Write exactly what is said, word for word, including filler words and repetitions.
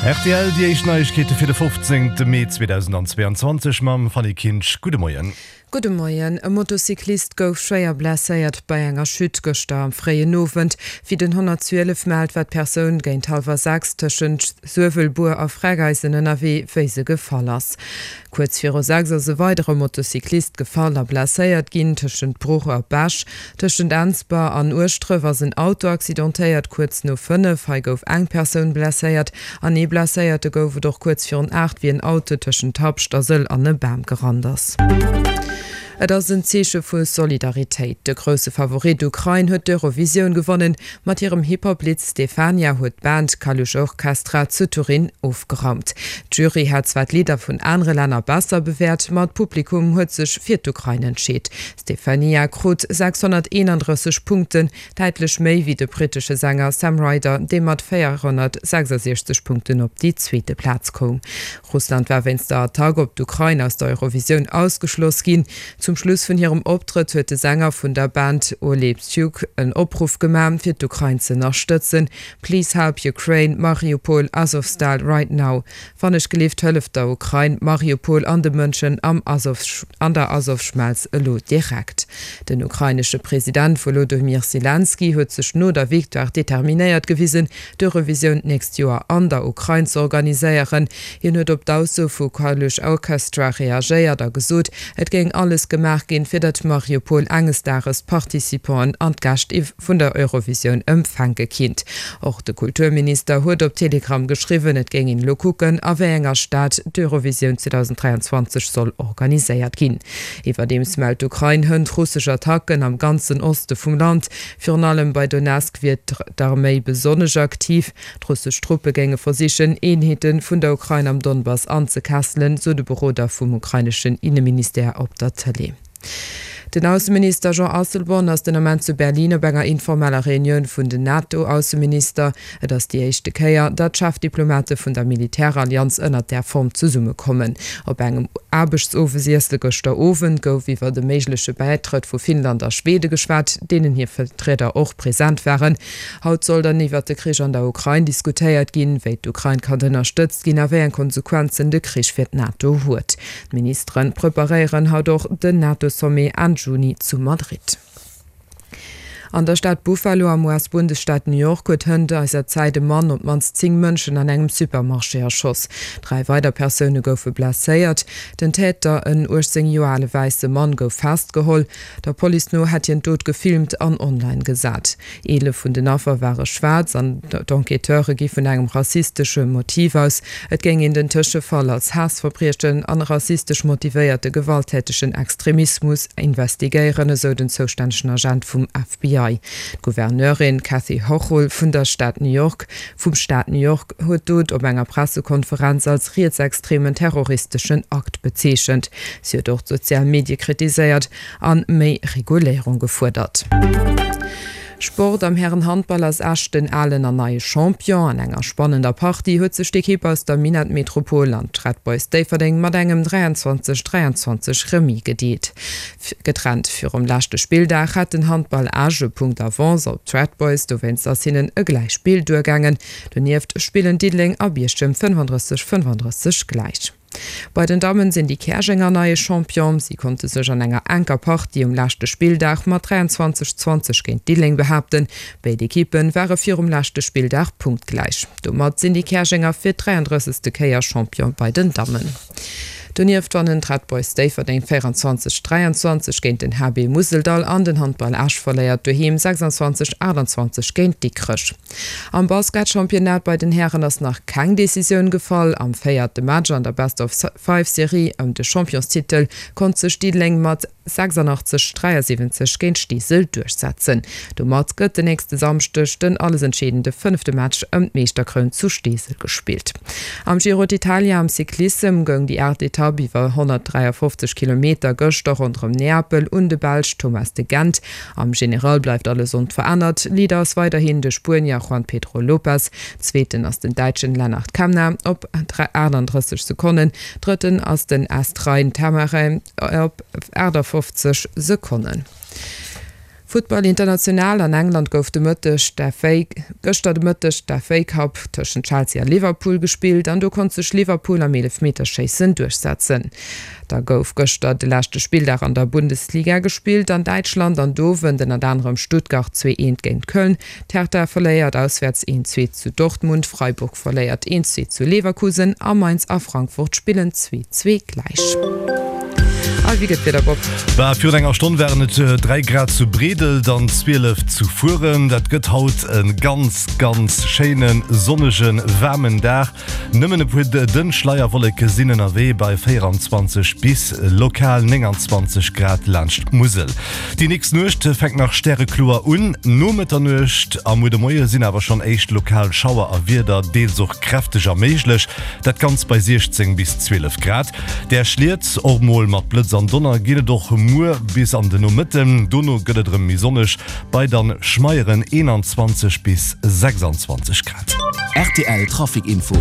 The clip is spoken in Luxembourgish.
R T L, déi éischt Neiegkeete fir de fofzéngte Mee zweedausendzweeanzwanzeg mam Fanny Kinsch. Gudde Moien. Gudde Moien. E Motocyclist gouf schwéier blesséiert bei enger Chute gëschter am fréien Owend. Wéi den honnertzwielef mellt, war d'Persoun géint hallwer sechs tëschent Suewelbuer a Freckeisen ënnerwee, wéi se gefall ass. Kuerz viru sechs ass e weidere Motocyclist gefall a blesséiert ginn tëschent Bruch a Bech. Tëschent Ensber an Ueschdref ass en Auto accidentéiert kuerz no fënnef. Hei gouf eng Persoun blesséiert an ee Blesséierte gouf et och kuerz virun aacht, wéi en Auto tëschent Habscht a Sëll an e Bam gerannt ass. Et ass en Zeeche vu Solidaritéit. De grousse Favorit Ukrain huet d'Eurovisioun gewonnen. Mat hirem Hip-Hop-Lidd Stefania huet d'Band Kalush Orchestra zu Turin ofgeraumt. D'Jury hat zwar d'Lidder vun anere Länner besser bewäert, ma d'Publikum huet sech fir d'Ukrain entscheet. Stefania krut sechshonnerteenandrësseg Punkten, däitlech méi wéi de brittesche Sänger Sam Ryder, dee mat véierhonnertsechsasechzeg Punkten op déi zweete Plaz koum. Russland war wéinst der Attack op d'Ukrain aus der Eurovisioun ausgeschloss ginn. Zum Schluss vun hirem Optrëtt huet de Sänger vun der Band Oleh Psiuk en Opruff gemaach, fir d'Ukrain ze ënnerstëtzen, Please help Ukraine, Mariupol, Azovstal right now. Wann ech gelift, hëlleft der Ukrain, Mariupol an de Mënschen am Azov, an der Azovschmelz elo direkt. Den ukrainesche President Volodymyr Selenskyj huet sech no der Victoire determinéiert gewisen, d'Eurovisioun d'nächst Joer an der Ukrain ze organiséieren. Hien huet op d'Ausso vu Kalush Orchestra reagéiert a gesot, et géing alles gemaach ginn, fir datt Mariupol enges Dages d'Participanten an d'Gäscht vun der Eurovisioun empfänke kinnt. Och de Kulturminister huet op Telegram geschriwwen, et géing een elo kucken, a wéi enger Stad d'Eurovisioun zweedausenddräianzwanzeg soll organiséiert ginn. Iwwerdeems mellt d'Ukrain hënt russesch Attacken am ganzen Oste vum Land. Virun allem bei Donezk wier d'Arméi besonnesch aktiv. D'russesch Truppe géinge versichen, Eenheete vun der Ukrain am Donbass anzekesselen, sou de Beroder vum ukraineschen Inneministère op der Tëlee. Den Ausseminister Jean Asselborn ass den Ament zu Berlin op enger informeller Reunioun vun den NATO-Ausseminister. Et ass déi éischte Kéier, datt d'Chefdiplomate vun der Militärallianz ënnert där Form zesummekommen. Op engem Aarbechtsowesiesse gëschter Owend gouf iwwer de méigleche Bäitrëtt vu Finnland a Schwede geschwat, deenen hir Vertrieder och present waren. Haut soll dann iwwer de Krich an der Ukrain diskutéiert ginn, wéi d'Ukrain kann ënnerstëtzt ginn a wéi eng Konsequenzen de Krich fir d'NATO huet. D'Ministere preparéieren haut och den NATO-Sommet Enn Juni zu Madrid. An der Stad Buffalo am U S-Bundesstaat New York huet hënt eiser Zäit e Mann op d'mannst zéng Mënschen an engem Supermarché erschoss. Dräi weider Persoune goufe blesséiert. Den Täter, en uechtzéng Joer ale wäisse Mann, gouf festgeholl. Der Police no hätt hien d'Dot gefilmt an online gesat. Eelef vun den Affer ware schwaarz an d'Enquêteure gi vun engem rassistesche Motiv aus. Et géing een den Tëschefall als Haassverbriechen an rassistesch motivéierte gewalttätegen Extremismus investigéieren, esou den zoustännegen Agent vum F B I. D'Gouverneurin Kathy Hochul vun der Stad New York vum Staat New York huet d'Dot op enger Pressekonferenz als rietsextremen terroristeschen Akt bezeechent. Si huet och d'sozial Medie kritiséiert an méi Reguléierung gefuerdert. Sport, Am Härenhandball ass Esch den alen an neie Champion. An enger spannender Partie huet sech d'Ekipp aus der Minettmetropol an d'Red Boys Déifferdeng mat engem dräianzwanzeg dräianzwanzeg Remis gedeelt. Getrennt virum leschte Spilldag hat den Handball Esch e Punkt Avance op d'Red Boys, dowéinst ass hinnen e Gläichspill duergaangen. Donieft spillen Diddeleng a Bierchem fënnefandrësseg fënnefandrësseg gläich. Bei den Dammen sinn déi Käerjenger neie Champion. Si konnte sech an enger enker Partie um leschte Spilldag mat dräianzwanzeg zwanzeg géint Diddeleng behaapten. Béid Ekippe ware virum leschte Spilldag punktgläich. Domat sinn déi Käerjenger fir d'dräiandrëssegste Kéier Champion bei den Dammen. Donieft wannen d'Red Boys Déifferdeng véierundzwanzeg dräianzwanzeg géint den H B Museldall an den Handball Esch verléiert doheem sechsanzwanzeg aachtanzwanzeg géint Dikrech. Am Basketchampionnat bei den Hären ass nach keng Decisioun gefall. Am véierte Match an der Best-of-Five-Serie ëm de Championstitel konnt sech Diddeleng mat sechsanachtzeg dräiasiwwenzeg géint Steesel duerchsetzen. Domat gëtt den nächste Samschdeg den alles entscheedende fënnefte Match ëm d'Meeschterkroun zu Steesel gespillt. Am Giro d'Italia am Cyclissem goung déi aacht Etapp iwwer honnertdräiafofzeg Kilometer gëschter ronderëm Neapel un de Belsch Thomas de Gendt. Am General bleift alles onverännert, Leader ass weiderhin de Spuenier Juan Pedro Lopez, Zweeten ass den Däitschen Lennard Kämna op aachtanddrësseg Sekonnen, Drëtten ass den Est Rein Taaramäe op aachtafoffzeg Sekonnen. Futtball international, An England gouf de Mëtteg d'FA gëschter de Mëtteg d'FA Cup tëschent Chelsea a Liverpool gespillt an do konnt sech Liverpool am Eelefmeterschéissen duerchsetzen. Da gouf gëschter de leschte Spilldag an der Bundesliga gespillt an Däitschland an do wënnt ënnert anerem Stuttgart zwee eent géint Köln, d'Hertha verléiert auswäerts eent zwee zu Dortmund, Freiburg verléiert eent zwee zu Leverkusen a Mainz a Frankfurt spillen zwee zwee gläich. A wéi gëtt d'Wieder, Bob? Bah, virun enger Stonn waren et dräi Grad zu Bredel, dann zwielef zu Furen. Dat gëtt haut e ganz, ganz schéinen, sonnegen, waarmen Dag. Nëmmen e puer dënn Schleierwolleke sinn ënnerwee bei véieranzwanzeg bis lokal nénganzwanzeg Grad laanscht d'Musel. Déi nächst Nuecht fänkt nach stärekloer un, no Mëtternuecht a muer de Moie sinn awer schonn éischt lokal Schauer a Wieder, deels och kräfteger méiglech. Dat Ganzt bei siechzéng bis zwielef Grad. Där Schliet, och mol mat Blëtz an Donner, ginn et och muer bis an de Nomëtten. Dono gëtt et erëm méi sonneg bei dann schmeieren eenanzwanzeg bis sechsanzwanzeg Grad. Rtl Trafic Info.